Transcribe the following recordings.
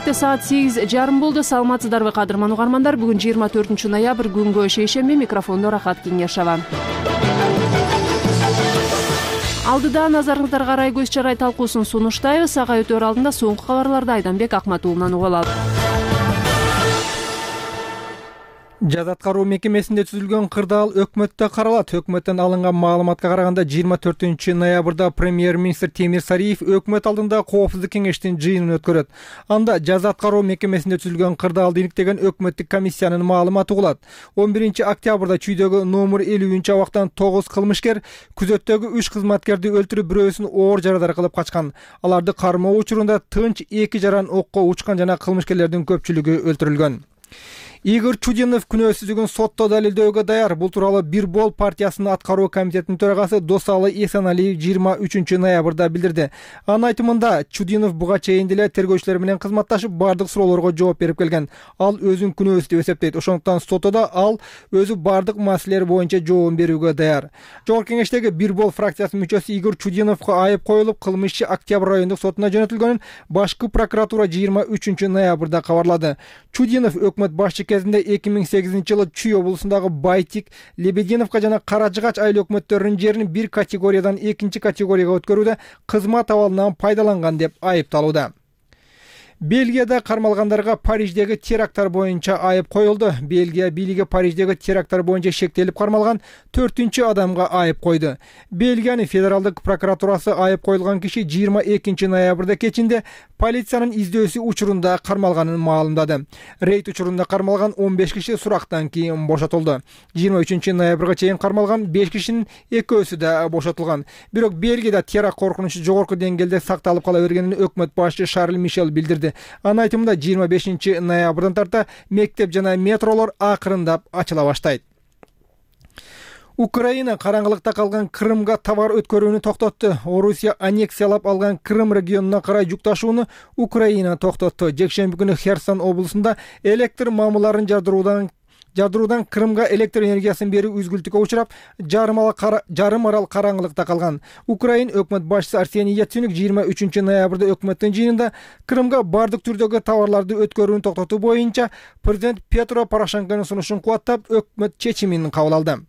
Кенеште саат 8:30 болду. Саламатсыздарбы кадырман угармандар? Бүгүн 24 ноябрь күнгө шейшемби. Микрофондо Рахат Кеңешова. Алдыда назарыңыздарга Арай көз чарай талкуусун сунуштайбыз. Ага өтөр алдында соңку кабарларды Айданбек Акматуулунан угуп алалы. Жаза аткаруу мекемесинде түзүлгөн кырдаал өкмөттө каралат. Өкмөттөн алынган маалыматка караганда 24 ноябрда премьер-министр Темир Сариев өкмөт алдында коопсуздук кеңештин жыйынын өткөрөт. Анда жаза аткаруу мекемесинде түзүлгөн кырдаалды иликтеген өкмөттүк комиссиянын маалыматы угулат. 11 октябрда чүйдөгү номер 50-абактан 9 кылмышкер күзөттөгү 3 кызматкерди өлтүрүп, бирөөсүн оор жарадар кылып качкан. Аларды кармоо учурунда тынч 2 жаран окко учкан жана кылмышкерлердин көпчүлүгү өлтүрүлгөн. Игорь Чудинов күнөөсүзлүгүн сотто далилдөөгө даяр. Бул тууралуу Бир бол партиясынын аткаруу комитетинин төрагасы Досалы Эсеналиев 23 ноябрда билдирди. Анын айтымында Чудинов буга чейин деле тергөөчүлөр менен кызматташып, бардык суроолорго жооп берип келген. Ал өзүн күнөөсүз деп эсептейт. Ошондуктан сотто ал өзү бардык маселелер боюнча жооп берүүгө даяр. Жогорку кеңештеги Бир бол фракциясынын мүчөсү Игорь Чудиновго айып коюлуп, кылмышчы Октябрь райондук сотуна жөнөтүлгөнүн башкы прокуратура 23 ноябрда кабарлады. Чудинов өкмөт башчы кезинде 2008-жылы Чүй облусундагы Байтик, Лебединовка жана Каражыгач айыл өкмөттөрүнүн жерин бир категориядан экинчи категорияга өткөрүүдө кызмат абалынан пайдаланган деп айыпталууда. Бельгияда кармалгандарга Париждеги теракттар боюнча айып коюлду. Бельгия бийлиги Париждеги теракттар боюнча шектелип кармалган 4-чү адамга айып койду. Бельгиянын федералдык прокуратурасы айып коюлган киши 22 ноябрда кечинде полициянын издөөсү учурунда кармалганын маалымдады. Рейд учурунда кармалган 15 киши сурактан кийин бошотулду. 23 ноябрга чейин кармалган 5 кишинин экөөсү да бошотулган. Бирок Бельгияда теракт коркунучу жогорку деңгээлде сакталып кала бергенин өкмөт башчы Шарль Мишел билдирди. Анын айтымында 25 ноябрдан тарта мектеп жана метролор акырындап ачыла баштайт. Украина караңгылыкта калган Крымга товар өткөрүүнү токтотту. Орусия аннексиялап алган Крым регионуна карай жүк ташууну Украина токтотту. Жекшемби күнү Херсон облусунда электр мамыларын жардыруудан Крымга электр энергиясын берүү үзгүлтүккө учурап, жарым арал караңгылыкта калган. Украин өкмөт башчысы Арсений Яценюк 23 ноябрда өкмөттүн жыйынында Крымга бардык түрдөгү товарларды өткөрүүнү токтотуу боюнча президент Петро Порошенконун сунушун кубаттап, өкмөт чечимин кабыл алды.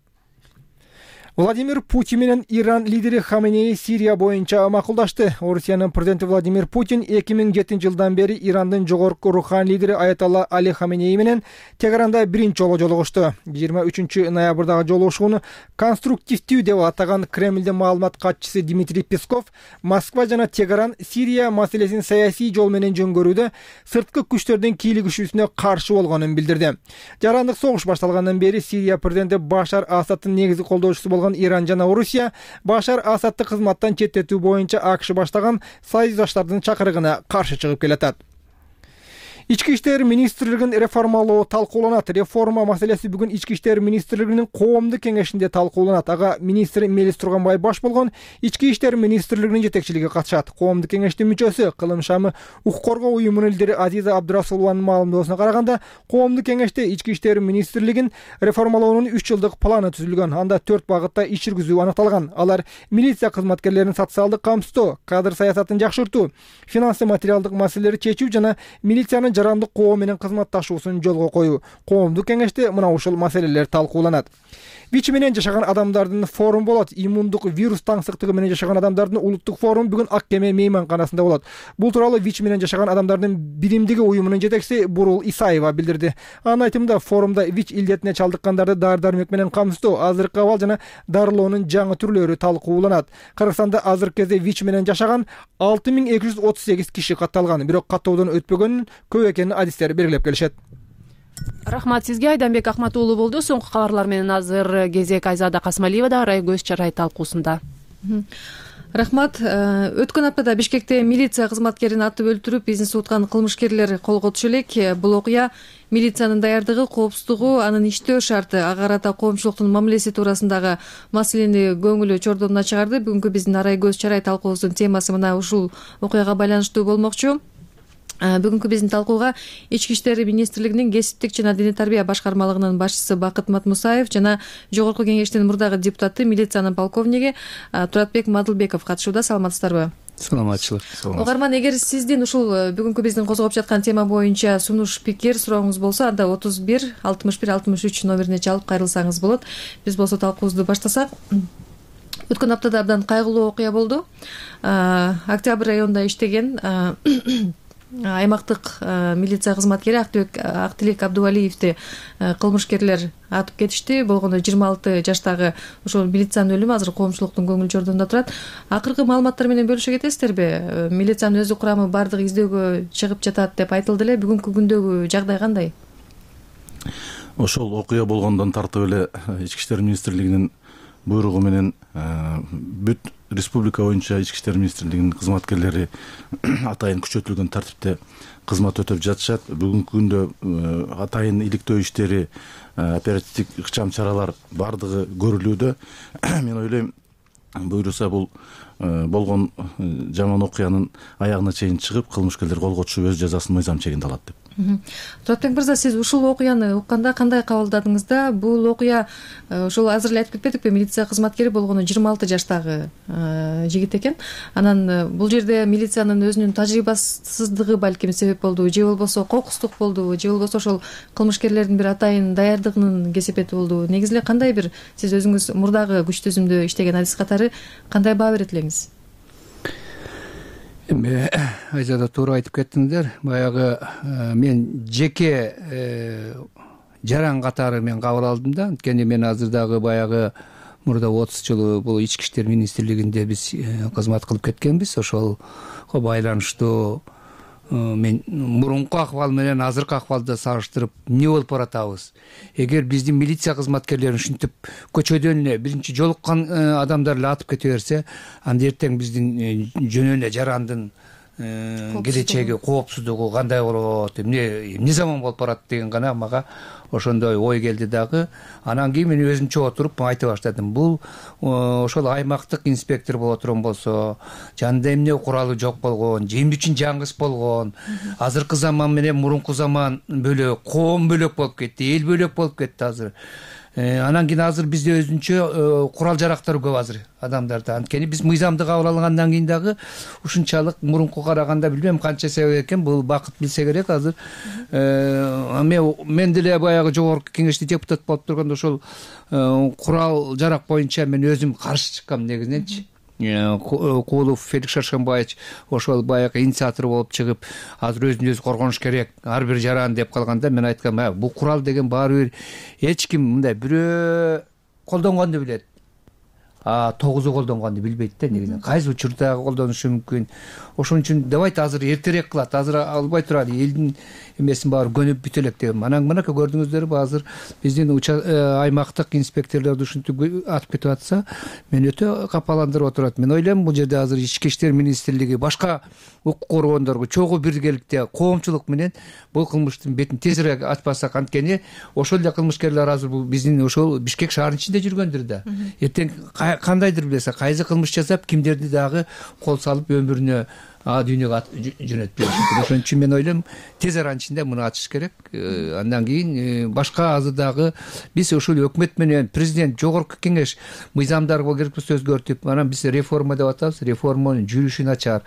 Владимир Путин менен Иран лидери Хаменеи Сирия боюнча макулдашты. Орусиянын президенти Владимир Путин 2007-жылдан бери Ирандын жогорку руханий лидери Аятолла Али Хаменеи менен Тегеранда биринчи жолу жолугушту. 23 ноябрдагы жолугушууну конструктивдүү деп атаган Кремлдин маалымат катчысы Дмитрий Песков Москва жана Тегеран Сирия маселесин саясий жол менен жөнгөрүүдө сырткы күчтөрдүн кийлигишүүсүнө каршы болгонун билдирди. Жарандык согуш башталгандан бери Сирия президенти Башар Асадтын негизги колдоочусу болгон Иран жана Орусия Башар Асадты кызматтан четтетүү боюнча АКШ баштаган союздаштардын чакырыгына каршы чыгып келатат. Ички иштер министрлигин реформалоо талкууланат. Реформа маселеси бүгүн Ички иштер министрлигинин коомдук кеңешинде талкууланат. Ага министр Мелис Турганбай баш болгон Ички иштер министрлигинин жетекчилиги катышат. Коомдук кеңештин мүчөсү Кылым шамы укук коргоо уюмунун лидери Азиза Абдурасулованын маалымдоосуна караганда, коомдук кеңеште Ички иштер министрлигин реформалоонун 3 жылдык планы түзүлгөн. Анда 4 багытта иш жүргүзүү аныкталган. Алар милиция кызматкерлеринин социалдык камсыздоо, кадр саясатын жакшыртуу, финансы материалдык маселелерди чечүү жана милициянын жарандык коом менен кызматташуусун жолго коюу. Коомдук кеңеште мына ушул маселелер талкууланат. ВИЧ менен жашаган адамдардын форум болот. Иммундук вирус таңсыктыгы менен жашаган адамдардын улуттук форуму бүгүн Ак Кеме мейманканасында болот. Бул тууралуу ВИЧ менен жашаган адамдардын биримдиги уюмунун жетекчиси Бурул Исаева билдирди. Анын айтымында форумда ВИЧ илдетине чалдыккандарды дары-дармек менен камсыздоо, азыркы абал жана дарылоонун жаңы түрлөрү талкууланат. Кыргызстанда азыркы кезде ВИЧ менен жашаган 6238 киши катталган, бирок каттоодон өтпөгөнүн көп экенин адистер белгилеп келишет. Рахмат сизге. Айданбек Акматуулу болду. Соңку кабарлар менен азыр кезек Айзада Касмалиева да Арай көз чарай талкуусунда. Рахмат. Өткөн аптада Бишкекте милиция кызматкерин атып өлтүрүп, бизнес уткан кылмышкерлер колго түшө элек. Бул окуя милициянын даярдыгы, коопсуздугу, анын иштөө шарты, ага карата коомчулуктун мамилеси туурасындагы маселени көңүлү чордомуна чыгарды. Бүгүнкү биздин Арай көз чарай талкуубуздун темасы мына ушул окуяга байланыштуу болмокчу. Бүгүнкү биздин талкууга Ички иштер министрлигинин кесиптик жана диний тарбия башкармалыгынын башчысы Бакыт Матмусаев жана жогорку кеңештин мурдагы депутаты, милициянын полковниги Туратбек Мадылбеков катышууда. Саламатсыздарбы? саламатчылык. Угарман, эгер сиздин ушул бүгүнкү биздин козгоп жаткан тема боюнча сунуш, пикир, сурооңуз болсо, анда 31 61 63 номерине чалып кайрылсаңыз болот. Биз болсо талкуубузду баштасак. Өткөн аптада абдан кайгылуу окуя болду. Октябрь районунда иштеген аймактык милиция кызматкери Актилек Абдувалиевди кылмышкерлер атып кетишти. Болгондо 26 жаштагы ошол милициянын өлүмү азыр коомчулуктун көңүл жордонунда турат. Акыркы маалыматтар менен бөлүшө кетесиздерби? Милициянын өзү курамы баардыгы издөөгө чыгып жатат деп айтылды эле. Бүгүнкү күндөгү жагдай кандай? Ошол окуя болгондон тартып эле Ички иштер министрлигинин буйругу менен бүт республика боюнча Ички иштер министрлигинин кызматкерлери атайын күчөтүлгөн тартипте кызмат өтөп жатышат. Бүгүнкү күндө атайын иликтөө иштери, оперативдик ыкчам чаралар бардыгы көрүлүүдө. Мен ойлойм, буйруса бул болгон жаман окуянын аягына чейин чыгып, кылмышкерлер колго түшүп өз жазасын мыйзам чегинде алат деп. Туратбек мырза, сиз ушул окуяны укканда кандай кабылдадыңыз да? Бул окуя ошол азыр эле айтып кетпедикпи, милиция кызматкери болгону 26 жаштагы жигит экен. Анан бул жерде милициянын өзүнүн тажрыйбасыздыгы балким себеп болду, же болбосо кокустук болду, же болбосо ошол кылмышкерлердин бир атайын даярдыгынын кесепети болду. Негизи эле кандай бир сиз өзүңүз мурдагы күч түзүмдө иштеген адис катары кандай баа берет элеңиз? Эми Айзада туура айтып кеттиңиздер. Баягы мен жеке жаран катары мен кабыл алдым да. Анткени мен азыр дагы баягы мурда 30 жыл бул Ички иштер министрлигинде биз кызмат кылып кеткенбиз. Ошолго байланыштуу мен мурунку акыбал менен азыркы акыбалды салыштырып эмне болуп баратабыз? Эгер биздин милиция кызматкерлери ушинтип көчөдөн эле биринчи жолуккан адамдар эле атып кете берсе, анда эртең биздин жөн эле жарандын келечеги, коопсуздугу кандай болот, эмне заман болуп барат деген гана мага ошондой ой келди дагы. Анан кийин мен өзүмчө отуруп айта баштадым. Бул ошол аймактык инспектор боло турган болсо, жанында эмне куралы жок болгон, же эмне үчүн жаңгыс болгон, азыркы заман менен мурунку заман бөлөк, коом бөлөк болуп кетти, эл бөлөк болуп кетти азыр. Анан кийин азыр бизде өзүнчө курал жарактар көп азыр адамдарда. Анткени биз мыйзамды кабыл алгандан кийин дагы ушунчалык мурунку караганда билбейм канча себеп экен, бул бакыт билсе керек азыр. Мен деле баягы жогорку кеңеште депутат болуп турганда ошол курал жарак боюнча мен өзүм каршы чыккам негизиненчи. Куулов Феликс Шаршембаевич ошол баягы инициатор болуп чыгып, азыр өзүн өзү коргонуш керек, ар бир жаран деп калганда мен айткам, бул курал деген баары бир эч ким мындай бирөө колдонгонду билет. 9 колдонгонду билбейт да негизинен. Кайсы учурда колдонушу мүмкүн. Ошон үчүн давайте азыр эртерээк кылат, азыр албай турат, элдин эмесин баары көнүп бүтө элек деп. Анан мынакей көрдүңүздөрбү, азыр биздин аймактык инспекторлорду ушинтип атып кетип атса, мен өтө капаландырып отурат. Мен ойлойм, бул жерде азыр Ички иштер министрлиги башка укук коргондорго чогуу биргеликте коомчулук менен бул кылмыштын бетин тезирээк ачпасак, анткени ошол эле кылмышкерлер азыр бул биздин ошол Бишкек шаарынын ичинде жүргөндүр да. Эртең кандайдыр билесе, кайсы кылмыш жасап, кимдерди дагы кол салып өмүрүнө дүйнөгө жөнөтпөйт. Ошон үчүн мен ойлойм, тез аранын ичинде муну ачыш керек. Андан кийин башка азыр дагы биз ушул өкмөт менен президент, жогорку кеңеш мыйзамдарга керекпесе өзгөртүп, анан биз реформа деп атабыз, реформанын жүрүшүн ачаар.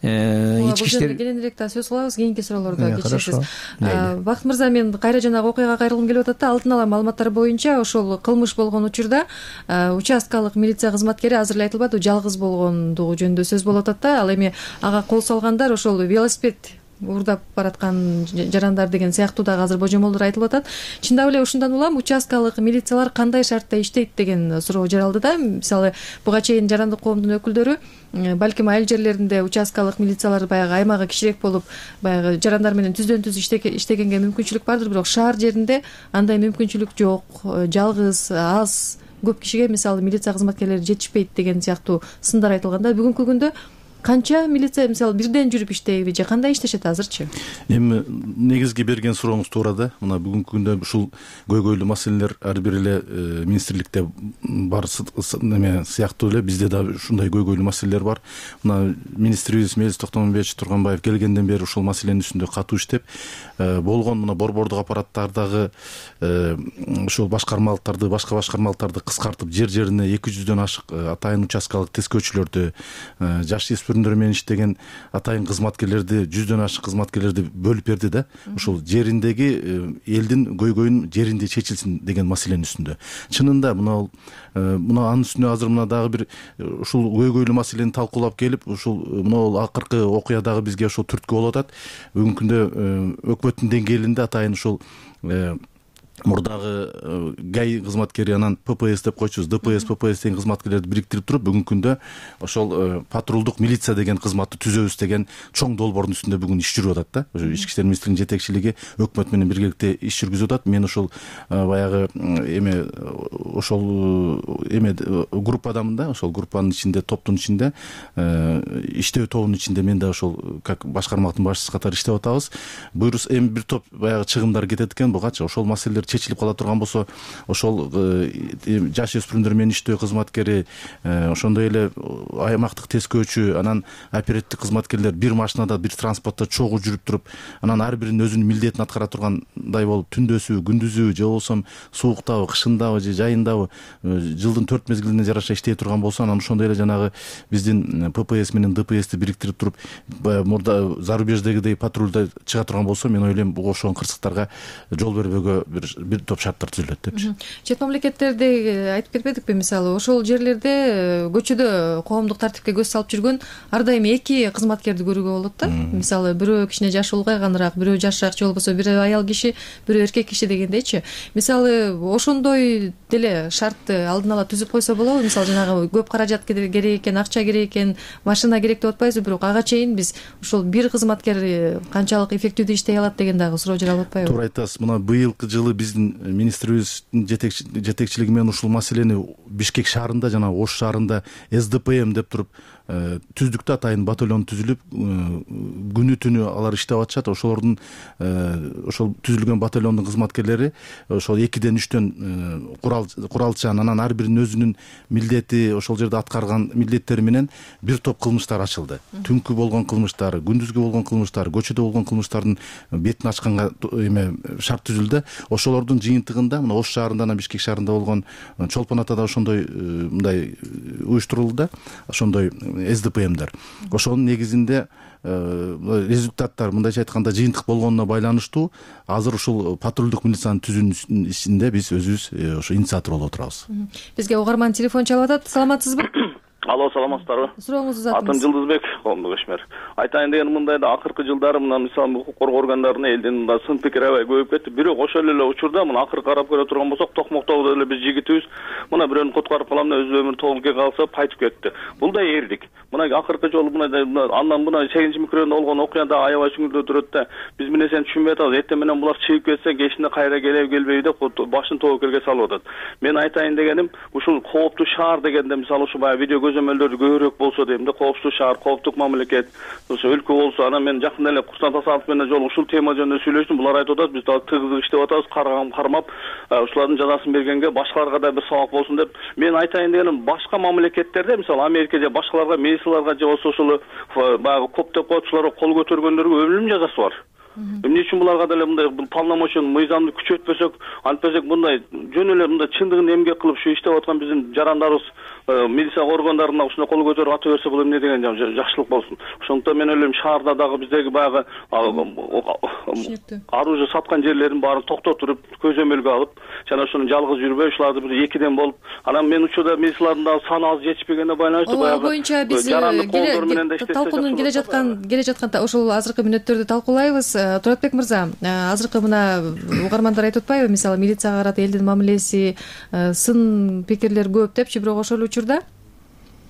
Ички иштер кененирээк да сөз кылабыз, кийинки суроолордо кечиресиз. Бакыт мырза, мен кайра жанагы окуяга кайрылгым келип атат да. Алдын ала маалыматтар боюнча ошол кылмыш болгон учурда участкалык милиция кызматкери азыр эле айтылбады, жалгыз болгондугу жөнүндө сөз болуп атат да. Ал эми ага кол салгандар ошол велосипед уурдап бараткан жарандар деген сыяктуу дагы азыр божомолдор айтылып атат. Чындап эле ушундан улам участкалык милициялар кандай шартта иштейт деген суроо жаралды да. Мисалы, буга чейин жарандык коомдун өкүлдөрү балким айыл жерлеринде участкалык милициялар баягы аймагы кичирээк болуп, баягы жарандар менен түздөн түз иштегенге мүмкүнчүлүк бардыр, бирок шаар жеринде андай мүмкүнчүлүк жок. Жалгыз, аз, көп кишиге мисалы милиция кызматкерлери жетишпейт деген сыяктуу сындар айтылганда, бүгүнкү күндө канча милиция мисалы бирден жүрүп иштейби же кандай иштешет азырчы? Эми негизги берген сурооңуз туура да. Мына бүгүнкү күндө ушул көйгөйлүү маселелер ар бир эле министрликте бар неме сыяктуу эле бизде да ушундай көйгөйлүү маселелер бар. Мына министрибиз Мелис Токтомбаевич Турганбаев келгенден бери ушул маселенин үстүндө катуу иштеп, болгон мына борбордук аппараттардагы ушул башкармалыктарды, башка башкармалыктарды кыскартып, жер-жерине 200дөн ашык атайын участкалык тескөөчүлөрдү, жаш өспүрүмдөр менен иштеген атайын кызматкерлерди, 100дөн ашык кызматкерлерди бөлүп берди да. Ошол жериндеги элдин көйгөйүн жеринде чечилсин деген маселенин үстүндө. Чынында мына анын үстүнө азыр мына дагы бир ушул көйгөйлүү маселени талкуулап келип, ушул мына акыркы окуя дагы бизге ошол түрткү болуп атат. Бүгүнкү күндө өкмөттүн деңгээлинде атайын ушул мурдагы ГАИ кызматкери, анан ППС деп койчубуз, ДПС, ППС деген кызматкерлерди бириктирип туруп, бүгүнкү күндө ошол патрулдук милиция деген кызматты түзөбүз деген чоң долбоордун үстүндө бүгүн иш жүрүп атат да. Ошо Ички иштер министрлигинин жетекчилиги өкмөт менен биргеликте иш жүргүзүп атат. Мен ошол баягы группадамын да, ошол группанын ичинде, топтун ичинде, иштөө тобунун ичинде мен да ошол как башкармактын башчысы катары иштеп атабыз. Буюрса эми бир топ баягы чыгымдар кетет экен, бугачы ошол маселелер чечилип кала турган болсо, ошол жаш өспүрүмдөр менен иштөө кызматкери, ошондой эле аймактык тескөөчү, анан оперативдик кызматкерлер бир машинада, бир транспортто чогуу жүрүп туруп, анан ар биринин өзүнүн милдетин аткара тургандай болуп, түндөсүбү, күндүзүбү, же болбосо сууктабы, кышындабы, же жайындабы, жылдын 4 мезгилине жараша иштей турган болсо, анан ошондой эле жанагы биздин ППС менен ДПСти бириктирип туруп, мурда зарубеждегидей патрулда чыга турган болсо, мен ойлойм буга ошол кырсыктарга жол бербөөгө бир топ шарттар түзүлөт депчи. Чет мамлекеттерде айтып кетпедикпи, мисалы ошол жерлерде көчөдө коомдук тартипке көз салып жүргөн ар дайым 2 кызматкерди көрүүгө болот да. Мисалы бирөө кичине жашы улгайганыраак, бирөө жашыраак, же болбосо бирөө аял киши, бирөө эркек киши дегендейчи. Мисалы ошондой деле шартты алдын ала түзүп койсо болобу? Мисалы жанагы көп каражат керек экен, акча керек экен, машина керек деп атпайбызбы, бирок ага чейин биз ошол бир кызматкер канчалык эффективдүү иштей алат деген дагы суроо жаралып атпайбы? Туура айтасыз. Мына быйылкы жылы биздин министрибиздин жетекчилиги менен ушул маселени Бишкек шаарында, жана Ош шаарында СДПМ деп туруп түздүктө атайын батальон түзүлүп, күнү түнү алар иштеп атышат. Ошолордун ошол түзүлгөн батальондун кызматкерлери ошол 2ден 3төн куралчан, анан ар биринин өзүнүн милдети, ошол жерде аткарган милдеттери менен бир топ кылмыштар ачылды. Түнкү болгон кылмыштар, күндүзгү болгон кылмыштар, көчөдө болгон кылмыштардын бетин ачканга шарт түзүлдү. Ошолордун жыйынтыгында мына Ош шаарында, анан Бишкек шаарында болгон Чолпон атада ошондой мындай уюштурулду да, ошондой СДПМдер. Ошонун негизинде результаттар, мындайча айтканда, жыйынтык болгонуна байланыштуу азыр ушул патрулдук милициянын түзүүнүн ичинде биз өзүбүз ошо инициатор болуп отурабыз. Бизге угарман телефон чалып атат. Саламатсызбы? Алло, саламатсыздарбы? Сурооңузду узатыңыз. Атым Жылдызбек, коомдук ишмер. Айтайын деген мындай да, акыркы жылдары мына мисалы укук коргоо органдарына элдин мындай сын пикир аябай көбөйүп кетти. Бирок ошол эле учурда мына акыркы карап көрө турган болсок, Токмоктобо эле биз жигитибиз мына бирөөнү куткарып калам деп өз өмүрүн тобулге калса кайтып кетти. Бул да эрдик. Мына акыркы жолу андан мына 8 микрорайондо болгон окуяда аябай сүңүрдө турат да. Биз мына сен түшүнбөй атабыз. Эртең менен булар чыгып кетсе, кечинде кайра келбейби деп башын тобокелге салып атат. Мен айтайын дегеним, ушул кооптуу шаар дегенде мисалы ушу баягы видео көзөмөлдөрдү көбүрөөк болсо дейм да, кооптуу шаар, кооптук мамлекет, ошо өлкө болсо. Анан мен жакында эле Курсан Тасалов менен жолу ушул тема жөнүндө сүйлөштүм. Булар айтып атат, биз дагы тыгыз иштеп атабыз, кармап, ушулардын жазасын бергенге башкаларга да бир сабак болсун деп. Мен айтайын дегеним, башка мамлекеттерде, мисалы Америка же башкаларга, мейсиларга же болсо ошол баягы коп деп коет, ушуларга кол көтөргөндөргө өлүм жазасы бар. Эмне үчүн буларга деле мындай полномочияны, мыйзамды күчөтпөсөк, антпесек мындай жөн эле мындай чындыгын эмгек кылып ушу иштеп аткан биздин жарандарыбыз милиция органдарына ушундай кол көтөрүп ата берсе бул эмне деген жакшылык болсун. Ошондуктан мен ойлойм, шаарда дагы биздеги баягы оружие саткан жерлерин баарын токтотуп, көзөмөлгө алып, жана ошону жалгыз жүрбөй, ушуларды бир 2ден болуп, анан мен учурда милициялардын дагы саны аз жетишпегенине байланыштуу баягы боюнча биз талкуунун келе жаткан ошол азыркы мүнөттөрдү талкуулайбыз. Туратбек мырза, азыркы мына угармандар айтып атпайбы, мисалы милицияга карата элдин мамилеси, сын пикирлер көп депчи, бирок ошол учурда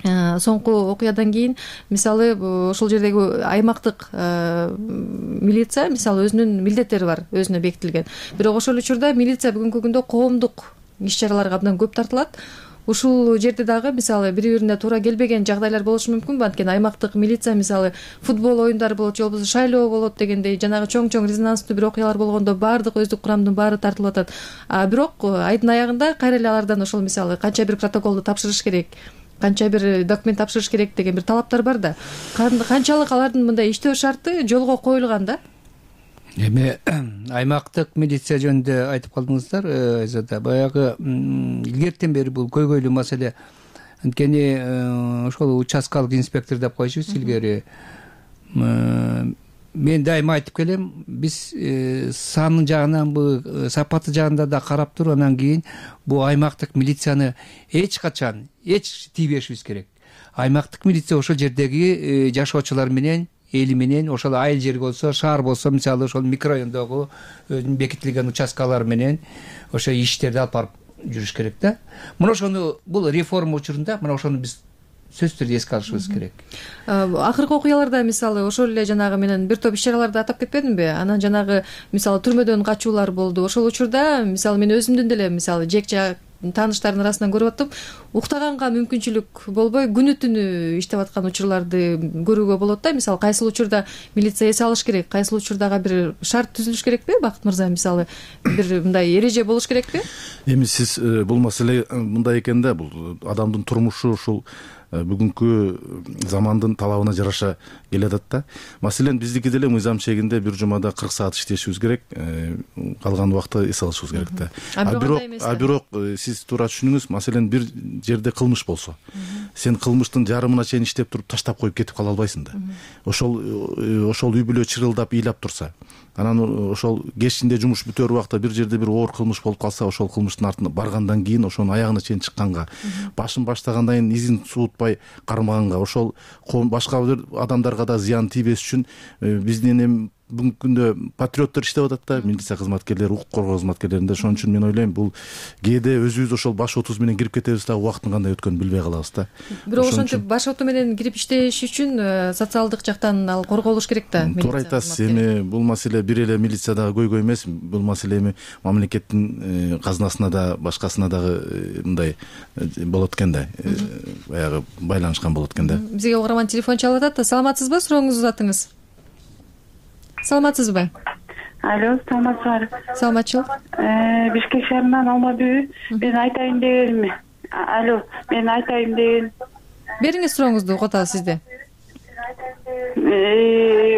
соңку окуядан кийин мисалы ошол жердеги аймактык милиция мисалы өзүнүн милдеттери бар, өзүнө бекитилген. Бирок ошол учурда милиция бүгүнкү күндө коомдук иш-чараларга абдан көп тартылат. Ушул жерде дагы мисалы бири-бирине туура келбеген жагдайлар болушу мүмкүнбү? Анткени аймактык милиция мисалы футбол оюндары болот, же болбосо шайлоо болот дегендей жанагы чоң резонанстуу бир окуялар болгондо баардык өздүк курамдын баары тартылып атат. Бирок айдын аягында кайра эле алардан ошол мисалы канча бир протоколду тапшырыш керек, канча бир документ тапшырыш керек деген бир талаптар бар да. Канчалык алардын мындай иштөө шарты жолго коюлган да? Эми аймактык милиция жөнүндө айтып калдыңыздар, Айзада. Баягы илгертен бери бул көйгөйлүү маселе анткени ошол участкалык инспектор деп койчубуз илгери. Мен дайыма айтып келем, биз саны жагынан, сапаты жагында да карап туруп, анан кийин бул аймактык милицияны эч качан тийбешибиз керек. Аймактык милиция ошол жердеги жашоочулар менен, эли менен, ошол айыл жер болсо, шаар болсо, мисалы ошол микрорайондогу өзүнүн бекитилген участкалары менен ошо иштерди алып барып жүрүш керек да. Мына ошону, бул реформа учурунда мына ошону биз сөзсүз түрдө эске алышыбыз керек. Акыркы окуяларда мисалы ошол эле жанагы менен бир топ иш-чараларды атап кетпедимби? Анан жанагы мисалы түрмөдөн качуулар болду. Ошол учурда мисалы мен өзүмдүн деле мисалы жекче тааныштардын арасынан көрүп аттым, уктаганга мүмкүнчүлүк болбой күнү түнү иштеп аткан учурларды көрүүгө болот да. Мисалы кайсыл учурда милиция эс алыш керек, кайсыл учурдага бир шарт түзүлүш керекпи, Бакыт мырза? Мисалы бир мындай эреже болуш керекпи? Эми сиз бул маселе мындай экен да, бул адамдын турмушу ушул бүгүнкү замандын талабына жараша келатат да. Маселен биздики деле мыйзам чегинде бир жумада 40 саат иштешибиз керек, калган убакта эс алышыбыз керек да. А бирок сиз туура түшүнүңүз, маселен бир жерде кылмыш болсо, сен кылмыштын жарымына чейин иштеп туруп таштап коюп кетип кала албайсың да. Ошол үй бүлө чырылдап ыйлап турса, анан ошол кечинде жумуш бүтөр убакта бир жерде бир оор кылмыш болуп калса, ошол кылмыштын артына баргандан кийин, ошонун аягына чейин чыкканга, башын баштагандан кийин изин суутпай кармаганга, ошол башка бир адамдарга да зыян тийбес үчүн биздин эми бүгүнкү күндө патриоттор иштеп атат да, милиция кызматкерлери, укук коргоо кызматкерлеринде. Ошон үчүн мен ойлойм, бул кээде өзүбүз ошол баш отубуз менен кирип кетебиз да, убакыттын кандай өткөнүн билбей калабыз да. Бирок ошентип баш оту менен кирип иштеш үчүн социалдык жактан ал корголуш керек да. Туура айтасыз. Эми бул маселе бир эле милициядагы көйгөй эмес, бул маселе эми мамлекеттин казынасына да, башкасына дагы мындай болот экен да, баягы байланышкан болот экен да. Бизге угарман телефон чалып атат. Саламатсызбы? Сурооңузду uzatыңыз. Саламатсызбы? Алло, саламатсызбы? Саламатчылык. Бишкек шаарынан Алмабүй. Мен айтайын дегеним. Алло, мен айтайын деген. Бериңиз сурооңузду, угуп атабыз сизди.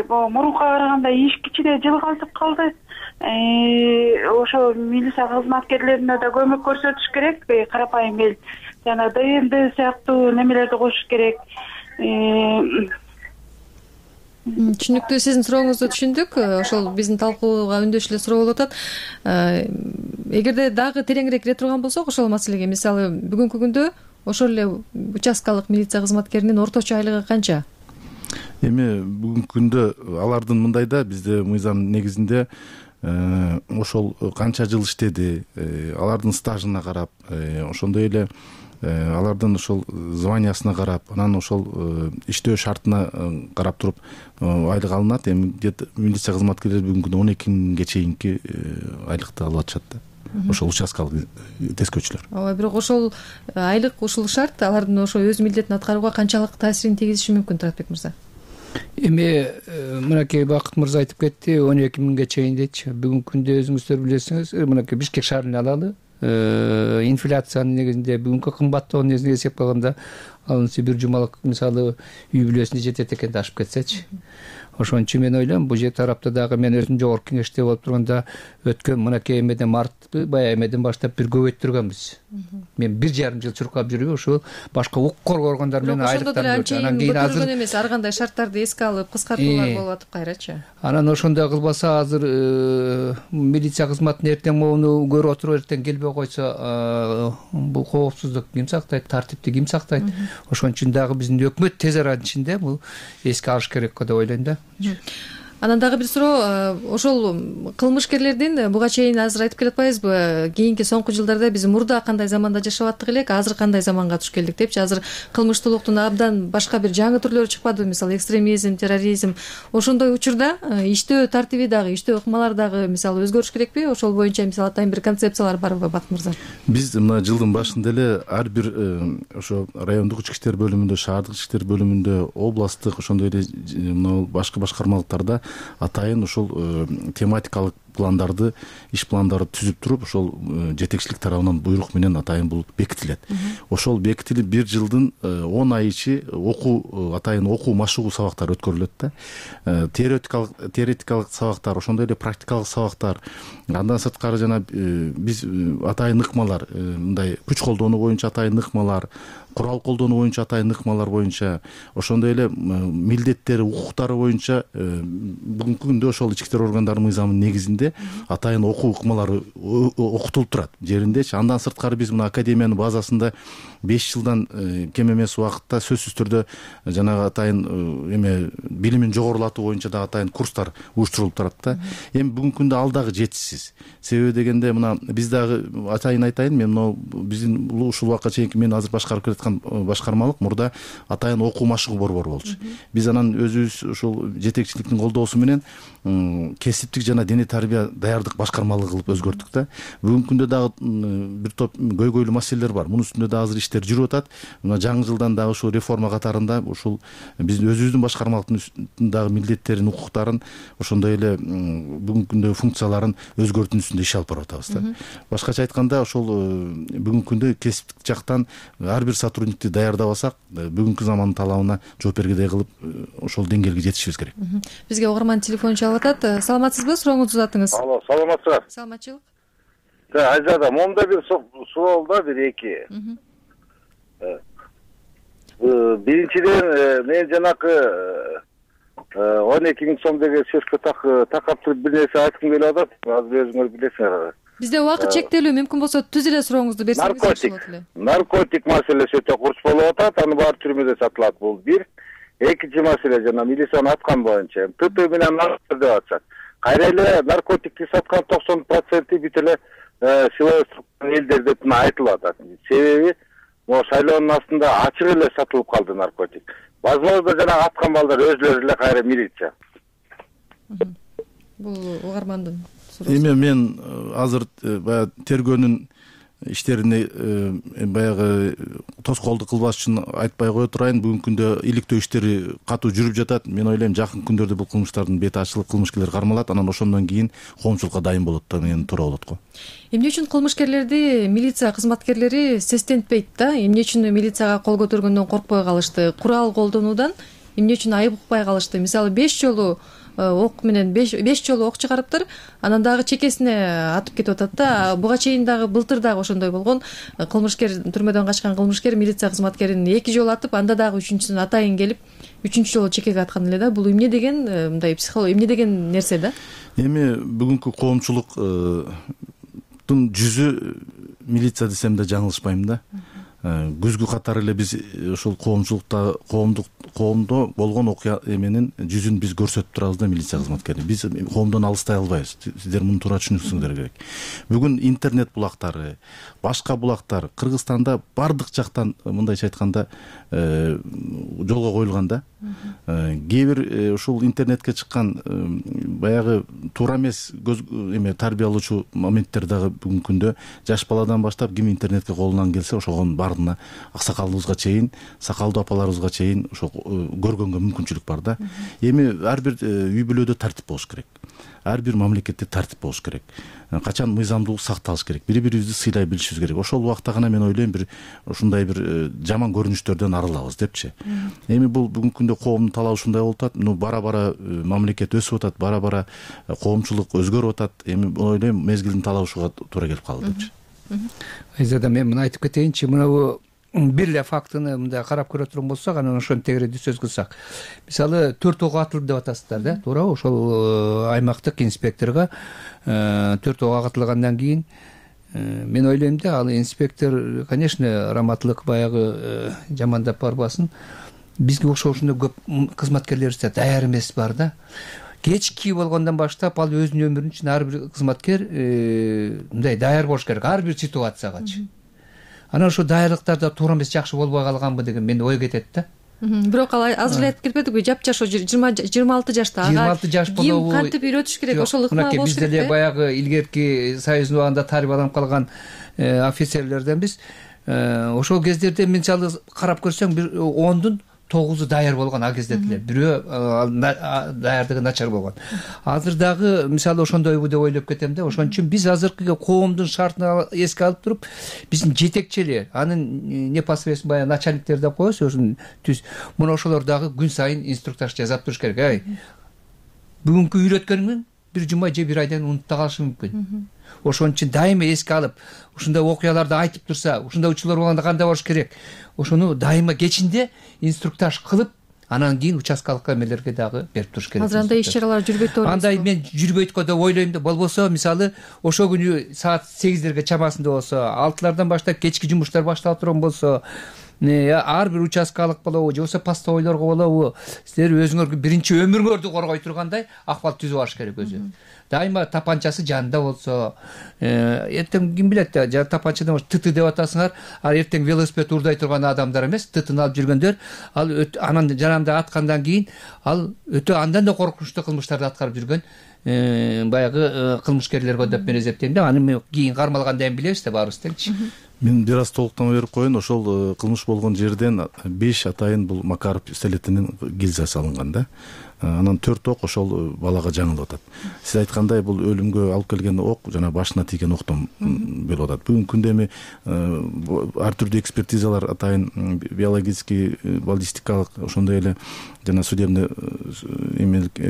Мурунка караганда иш кичине жылгалтып калды. Ошо милиция кызматкерлерине да көмөк көрсөтүш керек. Карапайым эл жана ДНД сыяктуу немелерди кошуш керек. Түшүнүктүү, сиздин сурооңузду түшүндүк. Ошол биздин талкууга үндөш эле суроо болуп атат. Эгерде дагы тереңирээк кире турган болсок ошол маселеге, мисалы бүгүнкү күндө ошол эле участкалык милиция кызматкеринин орточо айлыгы канча? Эми бүгүнкү күндө алардын мындай да, бизде мыйзам негизинде ошол канча жыл иштеди, алардын стажына карап, ошондой эле алардын ошол званиясына карап, анан ошол иштөө шартына карап туруп айлык алынат. Эми где-то милиция кызматкерлери бүгүнкү күндө 12 миңге чейинки айлыкты алып атышат да. Ошол участкалык тескөөчүлөр. Ооба, бирок ошол айлык, ушул шарт алардын ошо өз милдетин аткарууга канчалык таасирин тийгизиши мүмкүн, Туратбек мырза? Эми мынакей Бакыт мырза айтып кетти, 12 миңге чейин дечи. Бүгүнкү күндө өзүңүздөр билесиңиз, мынакей Бишкек шаарын алалы. Инфляциянын негизинде бүгүнкү кымбаттоонун негизинде эсеп алганда алынса бир жумалык мисалы үй бүлөсүнө жетет экен да, ашып кетсечи. Ошон үчүн мен ойлойм, бул жер тарапта дагы мен өзүм жогорку кеңеште болуп турганда өткөн мынакей эмеден мартты, баягы эмеден баштап бир көбөйттүргөнбүз. Мен 1,5 жыл чуркап жүрүп, ошол башка укук коргоо органдары менен айлыктарды анан кийин азыр эмес, ар кандай шарттарды эске алып кыскартуулар болуп атып кайрачы. Анан ошондой кылбаса азыр милиция кызматын эртең могуну көрүп отуруп эртең келбей койсо, бул коопсуздук ким сактайт, тартипти ким сактайт? Ошон үчүн дагы биздин өкмөт тез аранын ичинде бул эске алыш керек деп ойлойм да. Анан дагы бир суроо, ошол кылмышкерлердин буга чейин азыр айтып келатпайбызбы, кийинки соңку жылдарда биз мурда кандай заманда жашап аттык элек, азыр кандай заманга туш келдик депчи. Азыр кылмыштуулуктун абдан башка бир жаңы түрлөрү чыкпадыбы, мисалы экстремизм, терроризм. Ошондой учурда иштөө тартиби дагы, иштөө ыкмалар дагы мисалы өзгөрүш керекпи? Ошол боюнча мисалы атайын бир концепциялар барбы, Бакыт мырза? Биз мына жылдын башында эле ар бир ошо райондук ички иштер бөлүмүндө, шаардык ички иштер бөлүмүндө, областтык ошондой эле мына башка башкармалыктарда атайын ушул тематикалык пландарды иш пландарды түзүп туруп ошол жетекчилик тарабынан буйрук менен атайын бул бекитилет. Ошол бекитилип 1 жылдын 10 ай ичи атайын окуу машыгуу сабактары өткөрүлөт да. Теоретикалык сабактар, ошондой эле практикалык сабактар, андан сырткары жана биз атайын ыкмалар, мындай күч колдонуу боюнча атайын ыкмалар, курал колдонуу боюнча атайын ыкмалар боюнча, ошондой эле милдеттери, укуктары боюнча бүгүнкү күндө ошол ички иштер органдарынын мыйзамынын негизинде атайын окуу ыкмалары окутулуп турат жериндечи. Андан сырткары биз мына академиянын базасында 5 жылдан кем эмес убакытта сөзсүз түрдө жанагы атайын билимин жогорулатуу боюнча дагы атайын курстар уюштурулуп турат да. Эми бүгүнкү күндө ал дагы жетишсиз. Себеби дегенде мына биз дагы атайын айтайын, мен мына биздин ушул убакка чейинки мен азыр башкарып келаткан башкармалык мурда атайын окуу машыгуу борбору болчу. Биз анан өзүбүз ушул жетекчиликтин колдоосу менен кесиптик жана дене тарбия даярдык башкармалыгы кылып өзгөрттүк да. Бүгүнкү күндө дагы бир топ көйгөйлүү маселелер бар. Мунун үстүндө да азыр иштер жүрүп атат. Мына жаңы жылдан дагы ушул реформа катарында ушул биздин өзүбүздүн башкармалыктын дагы милдеттерин, укуктарын, ошондой эле бүгүнкү күндө функцияларын өзгөртүү үстүндө иш алып барып атабыз да. Башкача айтканда ошол бүгүнкү күндө кесиптик жактан ар бир сотрудникти даярдабасак, бүгүнкү замандын талабына жооп бергидей кылып ошол деңгээлге жетишибиз керек. Бизге угарман телефон чалып атат. Саламатсызбы? Сурооңузду uzatыңыз. Алло, саламатсызбы? Саламатчылык. Айзада, момда бир суроол да, бир эки. Биринчиден, мен жанакы 12 миң сом деген сөзгө такап туруп бир нерсе айткым келип атат. Азыр өзүңөр билесиңер. Бизде убакыт чектелүү, мүмкүн болсо түз эле сурооңузду берсеңиз болот эле. Наркотик маселеси өтө курч болуп атат, аны баары түрмөдө сатылат. Бул бир. Экинчи маселе жана милициянын аткан боюнча ТТ менен деп атышат. Кайра эле наркотикти саткан 90% бүт эле силой элдер деп айтылып атат. Себеби могу шайлоонун астында ачык эле сатылып калды наркотик. Возможно, жана аткан балдар өзлөрү эле кайра милиция. Бул угармандын суроосу. Эми мен азыр баягы тергөөнүн иштерине баягы тоскоолдук кылбаш үчүн айтпай кое турайын. Бүгүнкү күндө иликтөө иштери катуу жүрүп жатат. Мен ойлойм жакын күндөрдө бул кылмыштардын бети ачылып, кылмышкерлер кармалат, анан ошондон кийин коомчулукка дайын болот деген туура болот го. Эмне үчүн кылмышкерлерди милиция кызматкерлери сестентпейт да? Эмне үчүн милицияга кол көтөргөндөн коркпой калышты? Курал колдонуудан эмне үчүн айып укпай калышты? Мисалы 5 жолу ок менен 5 жолу ок чыгарыптыр, анан дагы чекесине атып кетип атат да. Буга чейин дагы былтыр дагы ошондой болгон. Кылмышкер, түрмөдөн качкан кылмышкер милиция кызматкерин 2 жолу атып, анда дагы 3-үнчүсүн атайын келип 3-үнчү жолу чекеге аткан эле да. Бул эмне деген мындай психология, эмне деген нерсе да? Эми бүгүнкү коомчулуктун жүзү милиция десем да жаңылышпайм да. Күзгү катары эле биз ушул коомчулукта коомдо болгон окуя эменин жүзүн биз көрсөтүп турабыз да милиция кызматкери. Биз коомдон алыстай албайбыз. Сиздер муну туура түшүнүңүздөр керек. Бүгүн интернет булактары, башка булактар Кыргызстанда бардык жактан мындайча айтканда жолго коюлган да. Кээ бир ушул интернетке чыккан баягы туура эмес тарбиялоочу моменттер дагы бүгүнкү күндө жаш баладан баштап ким интернетке колунан келсе ошогонун баарына аксакалыбызга чейин, сакалдуу апаларыбызга чейин ошо көргөнгө мүмкүнчүлүк бар да. Эми ар бир үй бүлөдө тартип болуш керек. Ар бир мамлекетте тартип болуш керек. Качан мыйзамдуулук сакталыш керек. Бири-бирибизди сыйлай билишибиз керек. Ошол убакта гана мен ойлойм бир ушундай бир жаман көрүнүштөрдөн арылабыз депчи. Эми бул бүгүнкү күндө коомдун талабы ушундай болуп атат. Бара-бара мамлекет өсүп атат, бара-бара коомчулук өзгөрүп атат. Эми ойлойм мезгилдин талабы ушуга туура келип калды депчи. Айзада, мен муну айтып кетейинчи. Мына бир эле фактыны мындай карап көрө турган болсок, анан ошону тегереди сөз кылсак. Мисалы 4 ок атылды деп атасыздар да, туурабы? Ошол аймактык инспекторго 4 ок атылгандан кийин мен ойлойм да, ал инспектор, конечно, раматтылык баягы жамандап барбасын. Бизге ошондой көп кызматкерлерибиз даяр эмес бар да. Кечки болгондон баштап ал өзүнүн өмүрүн үчүн ар бир кызматкер мындай даяр болуш керек ар бир ситуациягачы. Анан ошо даярдыктарда туура эмес, жакшы болбой калганбы деген мен ой кетет да. Бирок ал азыр эле айтып кетпедикпи, жапжаш 26 жашта. 26 жаш болобу? Ким кантип үйрөтүш керек? Ошол ыкма болуш керек. Биз деле баягы илгерки союздун убагында тарбияланып калган офицерлерден биз ошол кездерде мисалы карап көрсөң бир 10дун 9 даяр болгон ал кезде деле, бирөө даярдыгы начар болгон. Азыр дагы мисалы ошондойбу деп ойлоп кетем да. Ошон үчүн биз азыркы коомдун шартын эске алып туруп, биздин жетекчилер, анын непосредственно баягы начальниктер деп коебуз, ошон мына ошолор дагы күн сайын инструктаж жазап туруш керек. Бүгүнкү үйрөткөнүң бир жума же бир айдан унутта калышы мүмкүн. Ошон үчүн дайыма эске алып, ушундай окуяларды айтып турса, ушундай учурлар болгондо кандай болуш керек? Ошону дайыма кечинде инструктаж кылып, анан кийин участкалык эмелерге дагы берип туруш керек. Азыр андай иш-чаралар жүрбөйт деп ойлойсузбу? Андай мен жүрбөйт го деп ойлойм да. Болбосо, мисалы, ошо күнү саат 8-дерге чамасында болсо, 6-лардан баштап кечки жумуштар башталып турган болсо, ар бир участкалык болобу, же болбосо постовойлорго болобу, силер өзүңөргө биринчи өмүрүңөрдү коргой тургандай акыбал түзүп алыш керек өзү. Дайыма тапанчасы жанында болсо, эртең ким билет, тапанчадан тыты деп атасыңар, ал эртең велосипед урдай турган адамдар эмес, тытын алып жүргөндөр, ал анан жанында аткандан кийин ал өтө андан да коркунучтуу кылмыштарды аткарып жүргөн баягы кылмышкерлерге деп мен эсептейм да. Аны кийин кармалгандан кийин билебиз да баарыбыз теңчи. Мен бир аз толуктама берип коеюн. Ошол кылмыш болгон жерден 5 атайын бул Макаров пистолетинин гильзасы алынган да. Анан 4 ок ошол балага жаңылып атат. Сиз айткандай бул өлүмгө алып келген ок жана башына тийген октон болуп атат. Бүгүнкү күндө эми ар түрдүү экспертизалар атайын биологический, баллистикалык, ошондой эле жана судебный эмелик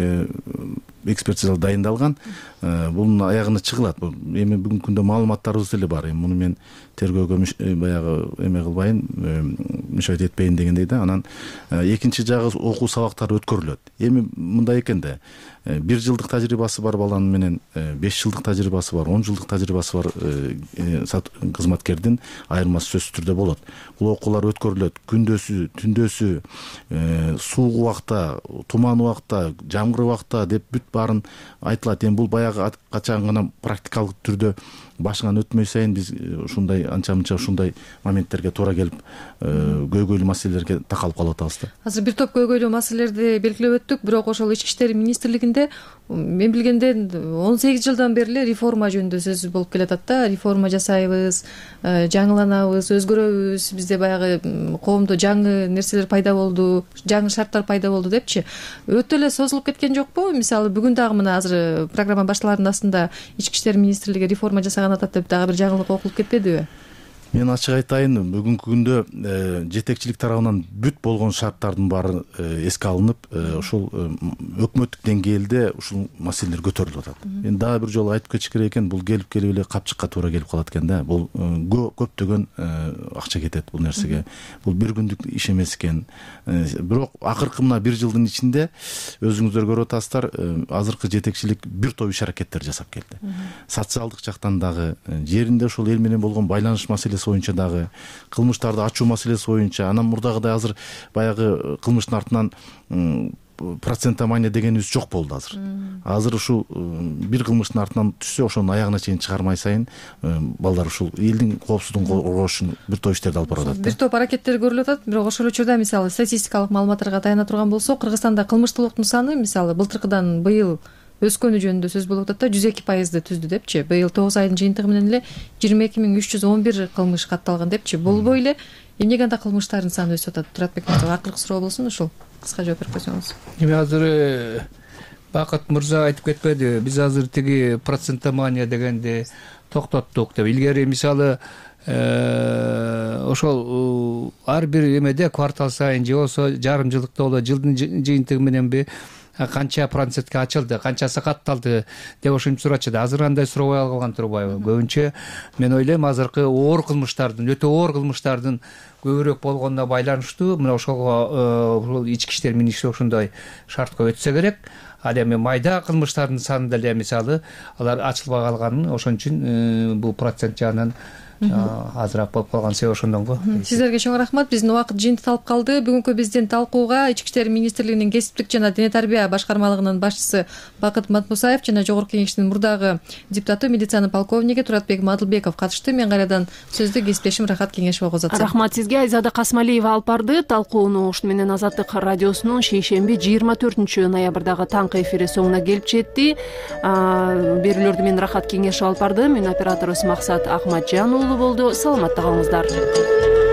экспертизалар дайындалган. Бунун аягына чыгылат. Эми бүгүнкү күндө маалыматтарыбыз деле бар. Муну мен тергөөгө баягы эме кылбайын, мüşahede этпейин дегендей да. Анан экинчи жагы окуу сабактары өткөрүлөт. Эми мындай экен да. 1 жылдык тажрыйбасы бар баланын менен 5 жылдык тажрыйбасы бар, 10 жылдык тажрыйбасы бар кызматкердин айырмасы сөзсүз түрдө болот. Бул окуулар өткөрүлөт. Күндөсү, түндөсү, суук убакта, туман убакта, жамгыр убакта деп бүт баарын айтылат. Эми бул баягы качан гана практикалык түрдө башыңан өтмөй сайын биз ушундай анча-мынча ушундай моменттерге туура келип, көйгөйлүү маселелерге такалып калып атабыз да. Азыр бир топ көйгөйлүү маселелерди белгилеп өттүк, бирок ошол Ички иштер министрлигинде мен билгенде 18 жылдан бери эле реформа жөнүндө сөз болуп келатат да. Реформа жасайбыз, жаңыланабыз, өзгөрөбүз, бизде баягы коомдо жаңы нерселер пайда болду, жаңы шарттар пайда болду депчи. Өтө эле созулуп кеткен жокпу? Мисалы бүгүн дагы мына азыр программа башталарынын астында Ички иштер министрлиги реформа жасаган атат деп дагы бир жаңылык окулуп кетпедиби? Мен ачык айтайын, бүгүнкү күндө жетекчилик тарабынан бүт болгон шарттардын баары эске алынып, ошол өкмөттүк деңгээлде ушул маселелер көтөрүлүп атат. Мен дагы бир жолу айтып кетиш керек экен, бул келип эле капчыкка туура келип калат экен да. Бул көптөгөн акча кетет бул нерсеге. Бул бир күндүк иш эмес экен. Бирок акыркы мына 1 жылдын ичинде өзүңүздөр көрүп атасыздар, азыркы жетекчилик бир топ иш аракеттер жасап келди. Социалдык жактан дагы, жеринде ошол эл менен болгон байланыш маселеси боюнча дагы, кылмыштарды ачуу маселеси боюнча, анан мурдагыдай азыр баягы кылмыштын артынан процентомания дегенибиз жок болду азыр. Азыр ушул бир кылмыштын артынан түшсө, ошонун аягына чейин чыгармай сайын балдар ушул элдин коопсуздугун коргош үчүн бир топ иштерди алып барып атат. Бир топ аракеттер көрүлүп атат, бирок ошол учурда мисалы статистикалык маалыматтарга таяна турган болсок, Кыргызстанда кылмыштуулуктун саны мисалы былтыркыдан быйыл өскөнү жөнүндө сөз болуп атат да, 102% түздү депчи. Быйыл 9 айдын жыйынтыгы менен эле 22311 кылмыш катталган депчи. Болбой эле эмнеге анда кылмыштардын саны өсүп атат? Туратбек мырза, акыркы суроо болсун, ушул кыска жооп берип койсоңуз. Эми азыр Бакыт мырза айтып кетпеди, биз азыр тиги процентомания дегенди токтоттук деп. Илгери мисалы ошол ар бир эмеде квартал сайын же болсо жарым жылдыкта болот, жылдын жыйынтыгы мененби канча процентке ачылды, канчасы катталды деп ошентип сурачу. Азыр андай сурабай калган турбайбы? Көбүнчө мен ойлойм азыркы оор кылмыштардын, өтө оор кылмыштардын көбүрөөк болгонуна байланыштуу. Мына ошол ички иштер министрлиги ошондой шартка өтсө керек. Ал эми майда кылмыштардын саны деле мисалы алар ачылбай калганын, ошон үчүн бул процент жагынан азыраак болуп калган себеби ошондон го. Сиздерге чоң рахмат. Биздин убакыт жыйынтыкталып калды. Бүгүнкү биздин талкууга Ички иштер министрлигинин кесиптик жана дене тарбия башкармалыгынын башчысы Бакыт Матмусаев жана Жогорку Кеңештин мурдагы депутаты, милициянын полковниги Туратбек Мадылбеков катышты. Мен кайрадан сөздү кесиптешим Рахат Кеңешовго узатсам. Рахмат сизге. Айзада Касмалиева алып барды. Талкууну ушуну менен Азаттык радиосунун шейшемби 24 ноябрдагы таңкы эфири соңуна келип жетти. Берүүлөрдү мен Рахат Кеңешов алып бардым. Мен операторубуз Максат Ахматжан болду. Саламатта калыңыздар.